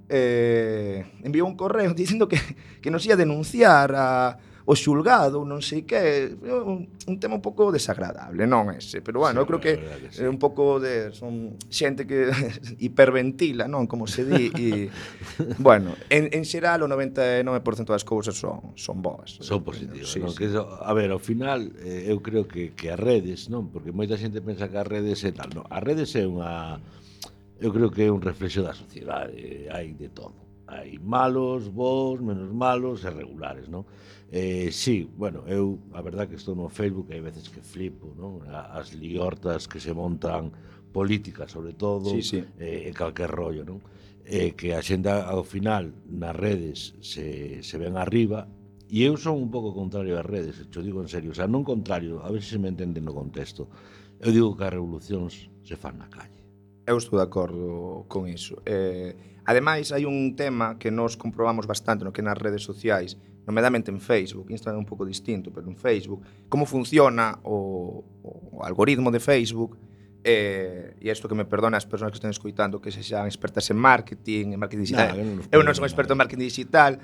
dicindo que nos ia denunciar o xulgado, non sei que, un tema un pouco desagradable, non ese, pero bueno, eu creo que é un pouco de son xente que hiperventila, non, como se di, e bueno, en xeral o 99% das cousas son boas. Son positivas, sí, non? sí. Que a ver, ao final eu creo que as redes, non? Porque moita xente pensa que as redes é tal, non? As redes é eu creo que é un reflexo da sociedade, hai de todo. Hai malos, bons, menos malos e regulares, non? Sí, bueno, eu a verdad que estou no Facebook e hai veces que flipo, non? As liortas que se montan políticas, sobre todo, Sí. e calquer rollo, non? Que a xente ao final nas redes se ven arriba, e eu son un pouco contrario ás redes, te digo en serio, o sea, non contrario, a ver se me entende no contexto. Eu digo que as revolucións se fan na calle. Eu estou de acordo con iso. Ademais, hai un tema que nos comprobamos bastante no que nas redes sociais, nomeadamente en Facebook, Instagram é un pouco distinto, pero en Facebook, como funciona o algoritmo de Facebook, e isto que me perdona as persoas que estén escoitando que sexan expertas en marketing digital. Eu non son experto en marketing digital,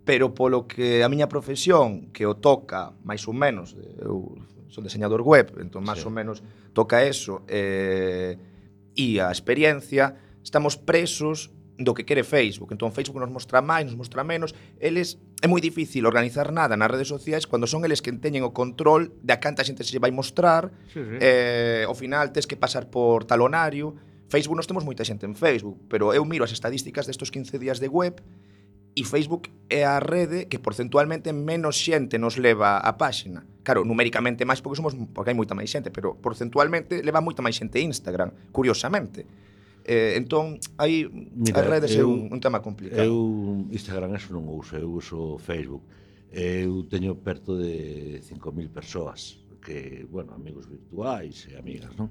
pero polo que a miña profesión, que o toca máis ou menos, eu son diseñador web, entón máis ou menos toca eso, e a experiencia, estamos presos do que quere Facebook. Entón Facebook nos mostra máis, nos mostra menos. Eles é moi difícil organizar nada nas redes sociais cando son eles que teñen o control de a canta xente se vai mostrar. Ao final tes que pasar por talonario. Facebook, nos temos moita xente en Facebook, pero eu miro as estadísticas destos 15 días de web e Facebook é a rede que porcentualmente menos xente nos leva á páxina. Claro, numéricamente máis porque hai moita máis xente, pero porcentualmente leva moita máis xente Instagram, curiosamente. Entón, aí as redes é un tema complicado. Eu Instagram eso non uso, eu uso Facebook. Eu teño perto de 5.000 persoas que, bueno, amigos virtuais e amigas, non?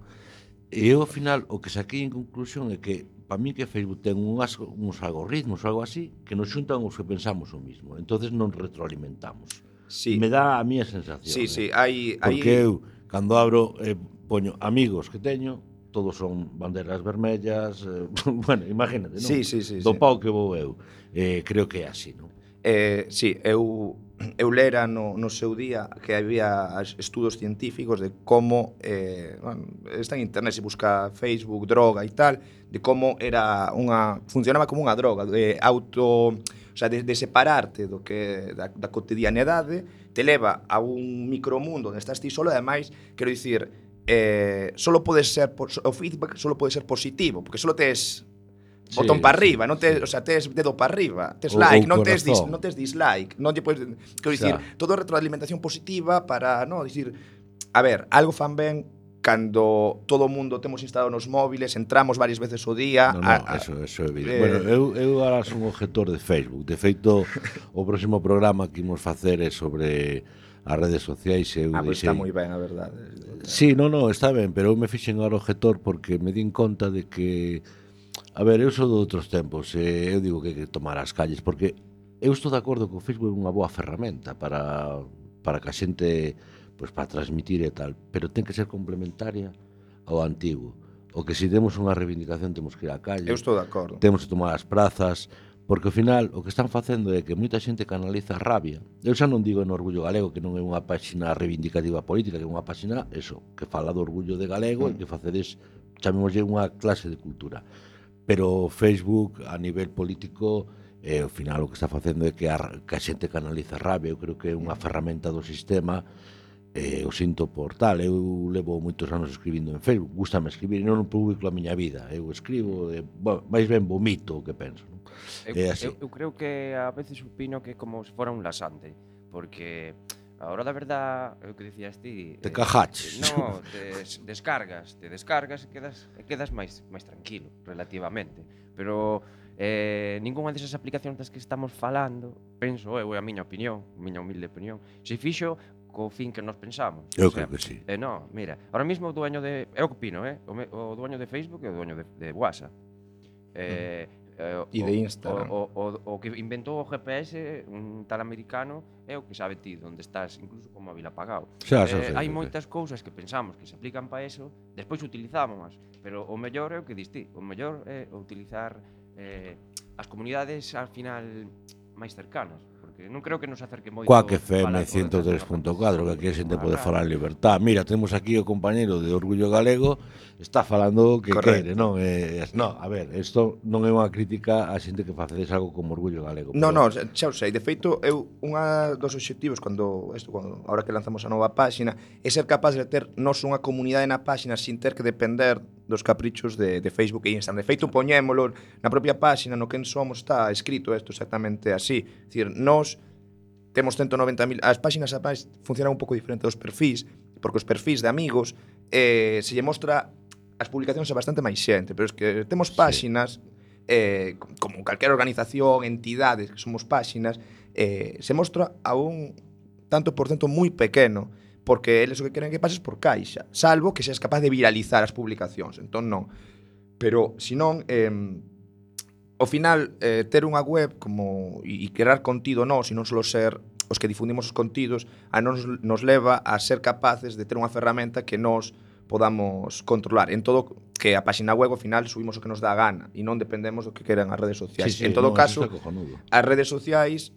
E eu, ao final, o que saquei en conclusión é que, para mí, que Facebook ten uns algoritmos ou algo así que nos xuntan os que pensamos o mismo. Entonces non retroalimentamos. Sí. Me dá a mía sensación. Sí, Porque eu, cando abro, poño amigos que teño, todos son banderas vermellas, bueno, imagínate, non? Sí. Do pau que vou eu. Creo que é así, non? Sí, eu lera no seu día que había estudos científicos de como, bueno, está en internet, se busca Facebook, droga e tal, de como funcionaba como unha droga, o sea, de separarte do que da cotidianidade, te leva a un micromundo onde estás ti solo, e ademais, quero dicir, o feedback solo pode ser positivo, porque solo tes botón para arriba, non tes, o sea, tes dedo para arriba, tes like, non tes dislike, non lle podes, quero dicir, todo retroalimentación positiva para, non, dicir, a ver, algo fan ben cando todo o mundo temos instalado nos móviles, entramos varias veces ao día. Eso é evidente. Bueno, eu agora son objetor de Facebook. De feito, o próximo programa que imos facer é sobre as redes sociais. Pois está moi ben, a verdade. Sí, non, está ben, pero eu me fixen agora objetor porque me din conta de que, a ver, eu sou de outros tempos, eu digo que hai que tomar as calles, porque eu estou de acordo que o Facebook é unha boa ferramenta para que a xente, pois, para transmitir e tal, pero ten que ser complementaria ao antigo. O que se demos unha reivindicación temos que ir á calle. Eu estou de acordo. Temos que tomar as prazas, porque ao final o que están facendo é que moita xente canaliza a rabia. Eu xa non digo en Orgullo Galego, que non é unha páxina reivindicativa política, que é unha páxina, que fala do orgullo de galego e que facedes, chamémoslle, unha clase de cultura. Pero Facebook, a nivel político, ao final o que está facendo é que a xente canaliza a rabia. Eu creo que é unha ferramenta do sistema. O sinto por tal, eu levo moitos anos escribindo en Facebook, gústame escribir, non publico a miña vida, eu escribo, máis ben vomito o que penso, non? Eu creo que a veces opino que é como se fora un lasante, porque a hora da verdad, é o que dicías ti, te cajaches. No, te descargas e quedas máis tranquilo, relativamente, pero ningunha desas aplicacións das que estamos falando, penso eu, é a miña opinión, a miña humilde opinión, se fixo co fin que nos pensamos. Eu creo que sí. No, mira, ahora mismo o dueño de... Eu que opino, o dueño de Facebook e o dueño de WhatsApp. E de Instagram. O que inventou o GPS, un tal americano, é o que sabe ti onde estás, incluso con móvil apagado. Hai moitas cousas que pensamos que se aplican para eso, despois utilizamos, pero o mellor é o que diste. O mellor é utilizar as comunidades, al final, máis cercanas. porque non creo que nos acerque moito Coac FM falar todas as 103.4, que aquí a xente pode falar en libertad. Mira, temos aquí o compañeiro de Orgullo Galego, está falando o que quere, non? Non, a ver, isto non é unha crítica a xente que facedes algo como Orgullo Galego. No, xa o sei. De feito, eu unha dos obxectivos cando ahora que lanzamos a nova páxina é ser capaz de ter nos unha comunidade na páxina sin ter que depender dos caprichos de Facebook e Instagram. De feito, poñémolo na propia páxina, no quen somos, está escrito isto exactamente así. É dicir, nós temos 190.000... As páxinas funcionan un pouco diferente dos perfis, porque os perfis de amigos se lle mostra as publicacións a bastante máis xente, pero es que temos páxinas, como calquera organización, entidades que somos páxinas, se mostra a un tanto por cento moi pequeno, porque eles o que queren que pases por caixa, salvo que seas capaz de viralizar as publicacións. Entón non. Pero, senón, ao final, ter unha web como e crear contido nós, e non só ser os que difundimos os contidos, a nos leva a ser capaces de ter unha ferramenta que nós podamos controlar. En todo, que a páxina web, ao final, subimos o que nos dá a gana e non dependemos do que queran as redes sociais. Sí, en todo caso, as redes sociais,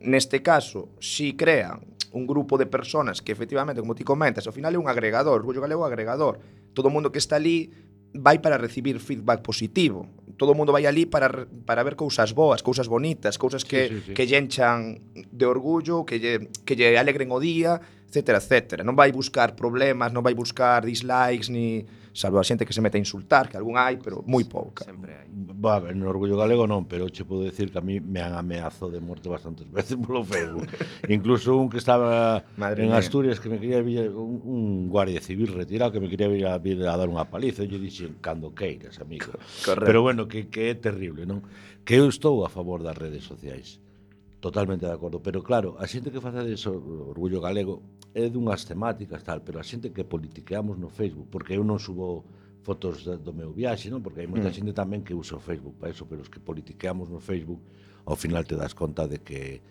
neste caso, si crean un grupo de personas que efectivamente, como ti comentas, ao final é un agregador, Orgullo Galego é un agregador. Todo o mundo que está ali vai para recibir feedback positivo. Todo o mundo vai ali para ver cousas boas, cousas bonitas, cousas que lle enchan de orgullo, que lle alegren o día, etcétera, etcétera. Non vai buscar problemas, non vai buscar dislikes, ni salvo a xente que se mete a insultar, que algún hai, pero moi pouca. Sempre hai. Va, no Orgullo Galego non, pero che podo decir que a mí me han ameazado de muerte bastantes veces polo Facebook. Incluso un que estaba en Asturias que me quería vir, un guardia civil retirado que me quería vir a dar unha paliza, e eu dixen, cando queiras, amigo. Correcto. Pero bueno, que é terrible, non? Que eu estou a favor das redes sociais. Totalmente de acordo, pero claro, a xente que face deso, Orgullo Galego, é dunhas temáticas tal, pero a xente que politiqueamos no Facebook, porque eu non subo fotos do meu viaxe, non? Porque hai moita xente tamén que usa o Facebook para eso, pero os que politiqueamos no Facebook, ao final te das conta de que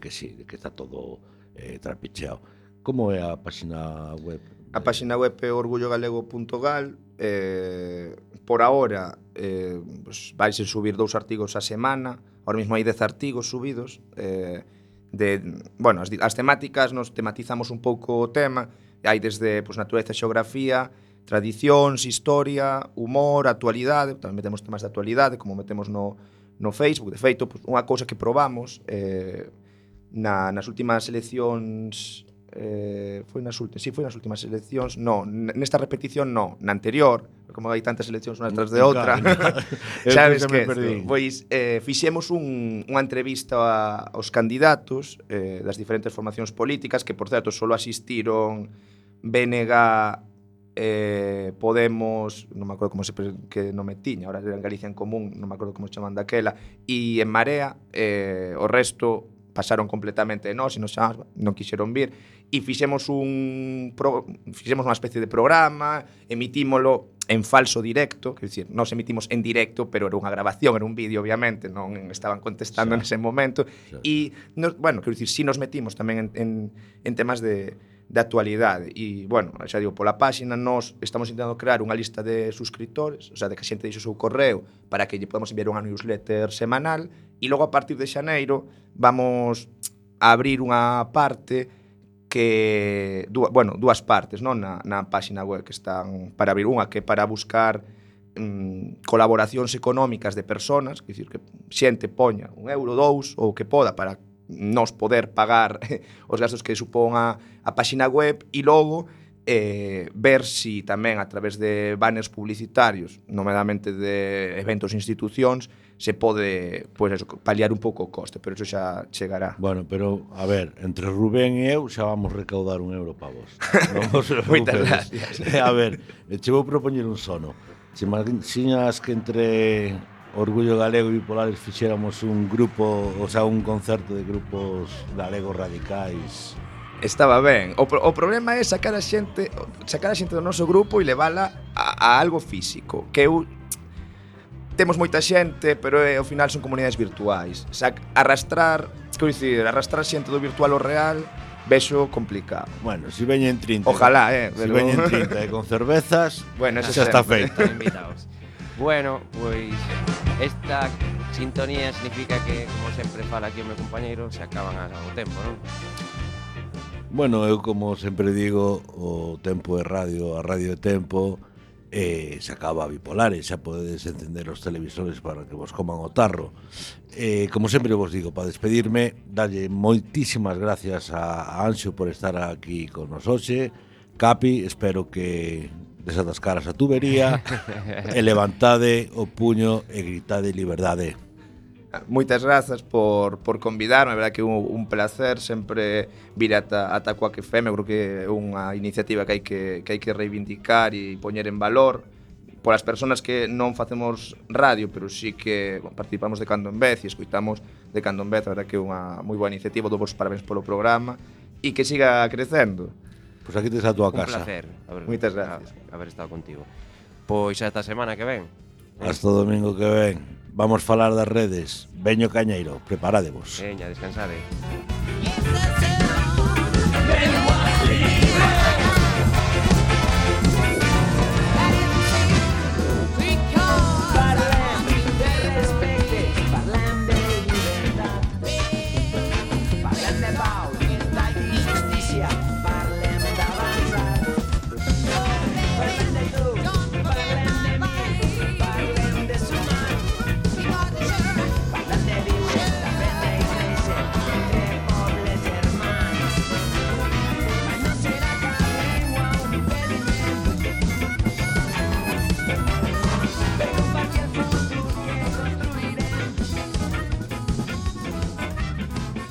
sí, de que está todo trapicheado. Como é a páxina web? A páxina web é orgullogalego.gal. Por ahora pues, vais a subir 2 artigos a semana. Ahora mesmo hai 10 artigos subidos. Bueno, as temáticas nos tematizamos un pouco o tema. Hai desde pues, natureza, xeografía, tradicións, historia, humor, actualidade. Tamén metemos temas de actualidade, como metemos no Facebook. De feito, pues, unha cousa que probamos nas últimas eleccións... foi nas últimas eleccións, nesta repetición na anterior, como hai tantas eleccións unhas tras de outra. Sabes que pois fixemos unha entrevista aos candidatos das diferentes formacións políticas, que por certo só asistiron BNG, Podemos, non me acordo como que nome tiña, ahora era en Galicia en Común, non me acordo como se chaman daquela, e en Marea, o resto pasaron completamente de nós e non quixeron vir, e fixemos unha especie de programa, emitímolo en falso directo, quer dicir, nós emitimos en directo, pero era unha grabación, era un vídeo, obviamente, non estaban contestando nese momento, e, bueno, quer dicir, si nos metimos tamén en temas de actualidade, e, bueno, xa digo, pola páxina nós estamos intentando crear unha lista de suscriptores, o sea, de que a xente deixe o seu correo para que lle podamos enviar unha newsletter semanal, e logo a partir de xaneiro vamos a abrir unha parte que, dúas partes, non, na páxina web que están para abrir, unha que para buscar colaboracións económicas de personas, que dicir que xente poña €1, €2 ou que poda para nos poder pagar os gastos que supón a páxina web, e logo ver si tamén a través de banners publicitarios, nomeadamente de eventos e institucións, se pode pues eso, paliar un pouco o coste, pero eso xa chegará. Bueno, pero a ver, entre Rubén e eu xa vamos recaudar €1 para vos. Moitas gracias. A ver, che vou propoñer un sono. Se imaginas que entre Orgullo Galego e Bipolares fixéramos un grupo, o sea, un concerto de grupos galegos radicais. Estaba ben. O problema é sacar a xente do noso grupo e levala a algo físico, que eu temos moita xente, pero ao final son comunidades virtuais. Arrastrar xente do virtual ao real, vexo complicado. Bueno, si veñen 30. Ojalá, Si veñen 30 con cervezas, bueno, eso xa está feito. Invitados. Bueno, pois esta sintonía significa que, como sempre fala aquí o meu compañeiro, se acaban o tempo, non? Bueno, eu como sempre digo, o tempo é radio, a radio é tempo, se acaba a Bipolares, xa podedes encender os televisores para que vos coman o tarro. Como sempre vos digo, para despedirme, dalle moitísimas gracias a Anxo por estar aquí con nos hoxe. Capi, espero que desatascaras a tubería e levantade o puño e gritade liberdade. Moitas grazas por convidarme, a verdade que é un placer sempre vir ata Quack FM. Eu creo que é unha iniciativa que hai que reivindicar e poñer en valor polas persoas que non facemos radio, pero sí que participamos de Cando en Vez e escoitamos de Cando en Vez. A verdade que é unha moi boa iniciativa. Dou vos parabéns polo programa e que siga crecendo. Pois aquí tes a túa casa. Un placer Moitas gracias. haber estado contigo. Pois esta semana que ven. Hasta o domingo que ven. Vamos falar das redes. Veño Cañeiro, preparadevos. Veña, descansade. Benoit.